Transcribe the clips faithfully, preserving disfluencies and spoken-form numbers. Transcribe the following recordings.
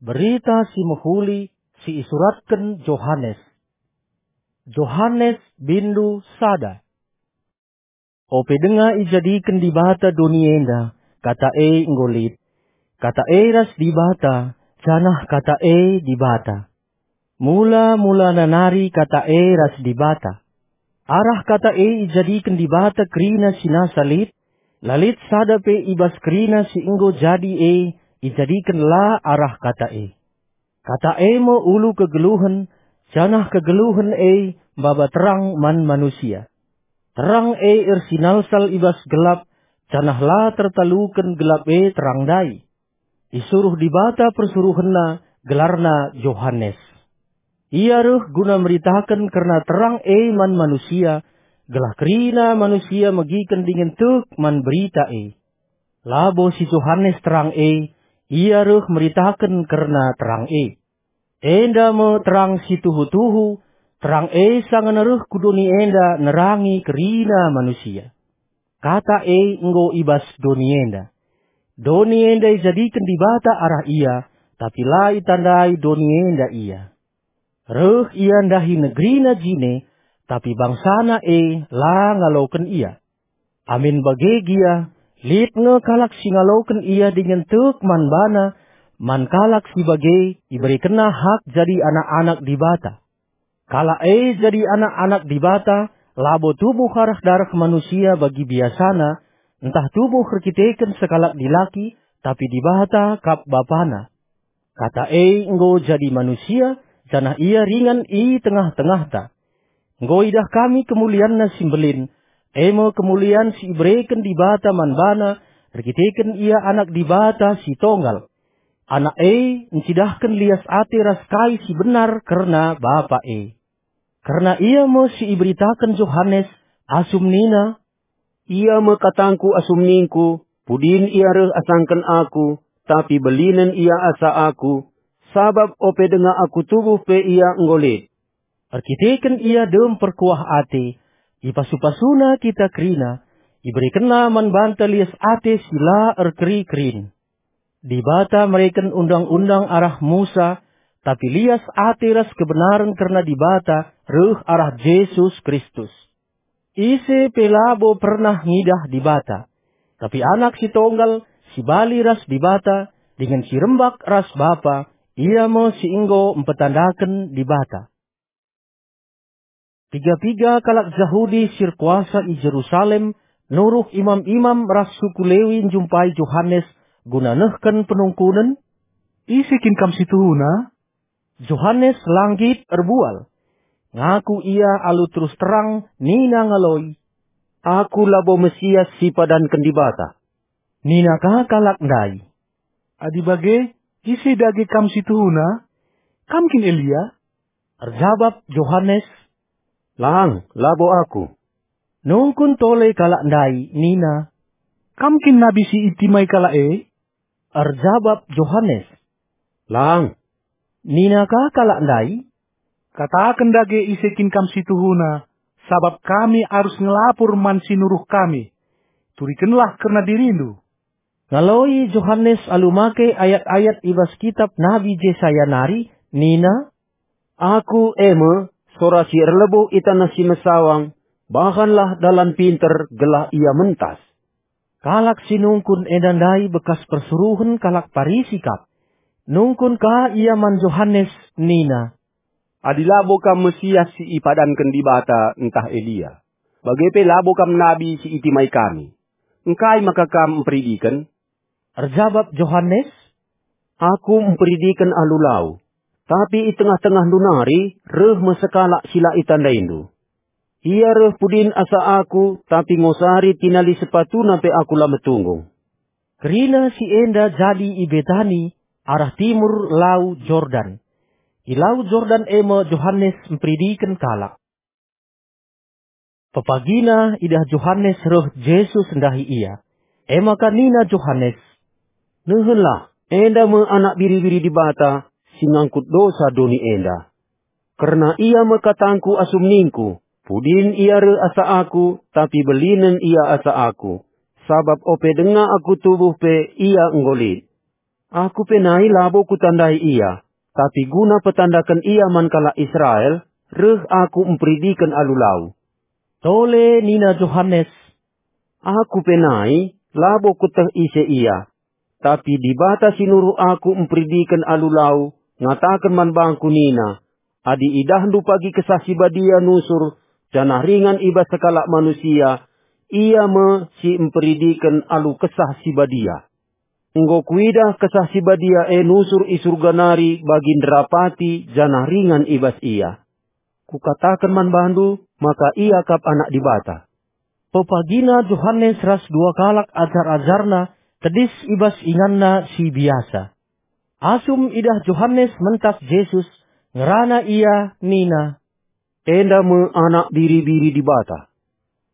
Berita Si Mehuli si isuratken Johanes. Johanes bindu sada. Ope denga ijadiken Dibata doni enda, Kata e enggo lit. Kata e ras Dibata, janah Kata e Dibata. Mula-mulana nari Kata e ras Dibata. Arah Kata e ijadiken Dibata kerina si nasa lit, la lit sada pe i bas kerina si enggo jadi e ijadiken la arah Kata e. Kata e me ulu kegeluhen, janah kegeluhen e maba terang man manusia. Terang e ersinalsal i bas gelap, janah la tertaluken gelap e terang ndai. Isuruh Dibata persuruhenNa, gelarna Johanes. Ia reh guna meritaken kerna terang e man manusia, gelah kerina manusia megiken dingen tek man berita e. Labo si Johanes terang e, ia reh meritaken kerna terang e. Enda me terang si tuhu-tuhu, terang e sanga reh ku doni enda nerangi kerina manusia. Kata e enggo i bas doni enda. Doni enda ijadiken Dibata arah ia, tapi la itandai doni enda ia. Reh ia ndahi negerina jine, tapi bangsana e la ngaloken ia. Amin bage gia, lit nge kalak si ngaloken ia dingen tek man bana, man kalak si bage iberekenna hak jadi anak-anak Dibata. Kalak e jadi anak-anak Dibata labo tubuh arah dareh manusia bagi biasana, ntah tubuh erkiteken sekalak dilaki, tapi Dibata kap Bapana. Kata e enggo jadi manusia, janah ia ringan i tengah-tengahta. Enggo idah kami kemulianNa si mbelin, e me kemulian si ibereken Dibata man baNa erkiteken Ia Anak Dibata si Tonggal. Anak e ncidahken lias ate ras kai si benar kerna Bapa e. Kerna Ia me si iberitaken Johanes, asum nina, "Ia me katangKu asum ningKu, pudin Ia reh asangken Aku, tapi belinen Ia asa Aku, sabap ope denga Aku tubuh pe Ia enggo lit." Erkiteken Ia dem perkuah ate, ipasu-pasuNa kita kerina, iberekenNa man banta lias ate si la erkeri-kerin. Dibata mereken undang-undang arah Musa, tapi lias ate ras kebenaren kerna Dibata reh arah Jesus Kristus. Ise pe labo pernah ngidah Dibata. Tapi Anak si Tonggal, si bali ras Dibata, dingen si rembak ras Bapa, Ia me si enggo mpetandaken Dibata. Piga-piga kalak Jahudi si erkuasa i Jerusalem nuruh imam-imam ras suku Lewi njumpai Johanes guna nehken penungkunen, "Ise kin Kam si tuhuna?" Johanes la nggit erbual. Ngaku ia alu terus terang nina ngaloi, "Aku labo Mesias si ipadanken Dibata." Nina ka kalak ndai, "Adi bage, ise dage Kam si tuhuna? Kam kin Elia?" Erjabap Johanes, "Lang, labo aku." Nungkun tole kalak ndai nina, "Kam kin nabi si itimai kalak e?" Erjabap Johanes, "Lang." Nina ka kalak ndai, "Kataken dage ise kin Kam si tuhuna, sabap kami arus ngelapur man si nuruh kami. Turikenlah kerna diriNdu." Ngaloi Johanes alu make ayat-ayat i bas kitap Nabi Jesaya nari, nina, "Aku e me, sora si erlebuh i taneh si mesawang, bahanlah dalan pinter gelah ia mentas." Kalak si nungkun enda ndai bekas persuruhen kalak Parisi kap. Nungkun ka ia man Johanes nina, "Adi labo Kam Mesias si ipadanken Dibata ntah Elia, bage pe labo Kam nabi si itimai kami. Engkai maka Kam mperidiken?" Erjabap Johanes, "Aku mperidiken alu lau, tapi i tengah-tengahndu nari reh me sekalak si la itandaindu. Ia reh pudin asa aku, tapi ngosari tinali sepatuna pe aku la metunggung." Kerina si enda jadi i Betani, arah timur Lau Jordan. I Lau Jordan e me Johanes mperidiken kalak. Pepagina idah Johanes reh Jesus ndahi ia. E maka nina Johanes, "Nehenlah, enda me Anak Biri-biri Dibata si ngangkut dosa doni enda. Kerna ia me katangKu asum ningKu, 'Pudin ia reh asa Aku, tapi belinen ia asa Aku, sabap ope denga Aku tubuh pe ia enggo lit.'" Aku pe nai labo kutandai ia, tapi guna petandaken ia man kalak Israel, reh aku mperidiken alu lau. Tole nina Johanes, "Aku pe nai labo kueteh ise ia, tapi Dibata si nuruh aku mperidiken alu lau ngataken man bangku nina, 'Adi idahndu pagi Kesah Si Badia nusur janah ringan i bas sekalak manusia, ia me si mperidiken alu Kesah Si Badia.' Enggo kuidah Kesah Si Badia e nusur i Surga nari bagi nderapati janah ringan i bas ia. Kukataken man bandu maka ia kap Anak Dibata." Pepagina Johanes ras dua kalak ajar-ajarna tedis i bas inganna si biasa. Asum idah Johanes mentas Jesus, ngerana ia nina, "Enda me Anak Biri-biri Dibata."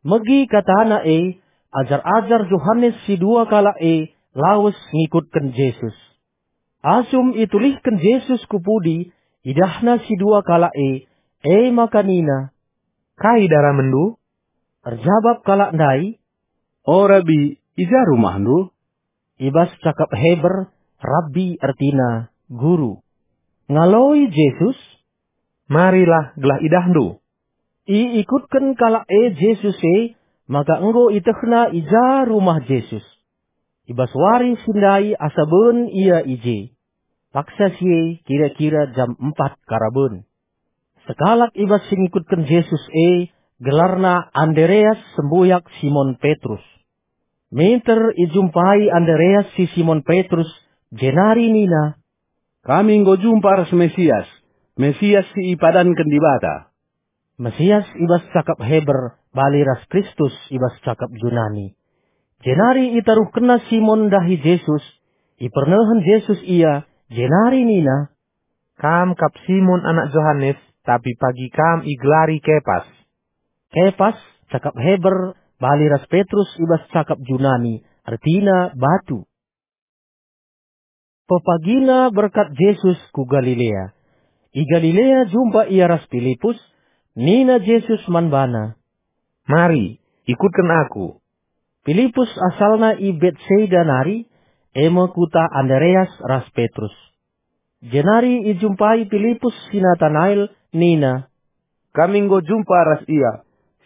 Megi katana e, ajar-ajar Johanes si dua kalak e lawes ngikutken Jesus. Asum itulihken Jesus ku pudi, idahna si dua kalak e, e maka nina, "Kai daramenndu?" Erjabap kalak ndai, "O Rabi, i ja rumahndu?" I bas cakap Heber, Rabbi ertina guru. Ngaloi Jesus, "Marilah gelah idahndu." Iikutken kalak e Jesus e, maka enggo itehna i ja rumah Jesus. I bas wari si ndai asa ben ia i je. Paksa si e kira-kira jam empat karaben. Sekalak i bas si ngikutken Jesus e, gelarna Andereas sembuyak Simon Petrus. Minter ijumpai Andereas si Simon Petrus, jenari nina, "Kami enggo jumpa ras Mesias, Mesias si ipadanken Dibata." Mesias i bas cakap Heber bali ras Kristus i bas cakap Junani. Jenari itaruhkenna Simon ndahi Jesus, ipernehen Jesus ia, jenari nina, "Kam kap Simon anak Johanes, tapi pagi kam igelari Kepas." Kepas, cakap Heber, bali ras Petrus i bas cakap Junani, ertina batu. Pepagina berkat Jesus ku Galilea. I Galilea jumpa ia ras Pilipus, nina Jesus man bana, "Mari, ikutken Aku." Pilipus asalna i Betsaida nari, e me kuta Andereas ras Petrus. Jenari ijumpai Pilipus si Natanael, nina, "Kami enggo jumpa ras IA,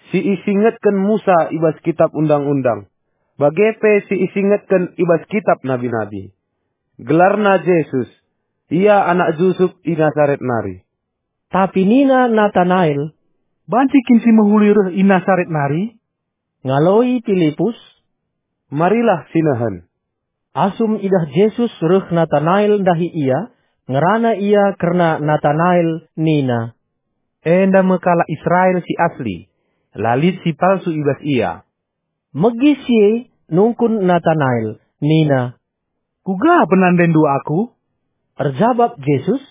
si isingetken Musa i bas Kitap Undang-undang, bage pe si isingetken i bas Kitap Nabi-nabi. Gelarna Jesus, ia anak Jusup i Nasaret nari." Tapi nina Natanael, "Banci kin si mehuli reh i Nasaret nari?" Ngaloi Pilipus, "Marilah sinehen." Asum idah Jesus reh Natanael ndahi ia, ngerana ia kerna Natanael nina, "Enda me kalak Israel si asli, la lit si palsu i bas ia." Megi si e nungkun Natanael nina, "Kuga penandaindu aku?" Erjabap Jesus,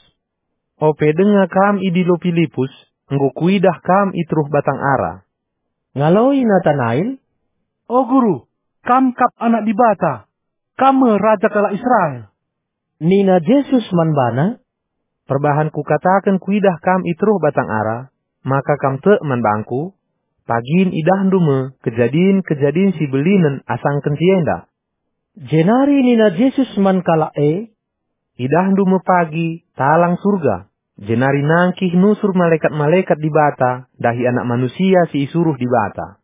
"Ope denga kam idilo Pilipus, enggo kuidah kam i teruh batang ara." Ngaloi Natanael, "O Guru, Kam kap Anak Dibata, Kam me Raja kalak Israel." Nina Jesus man bana, "Perbahan Kukataken kuidah kam i teruh batang ara, maka kam tek man bangKu? Pagin idahndu me kejadin-kejadin si belinen asangken si enda." Jenari nina Jesus man kalak e, "Idahndu me pagi talang Surga, jenari nangkih nusur malekat-malekat Dibata ndahi Anak Manusia si isuruh Dibata.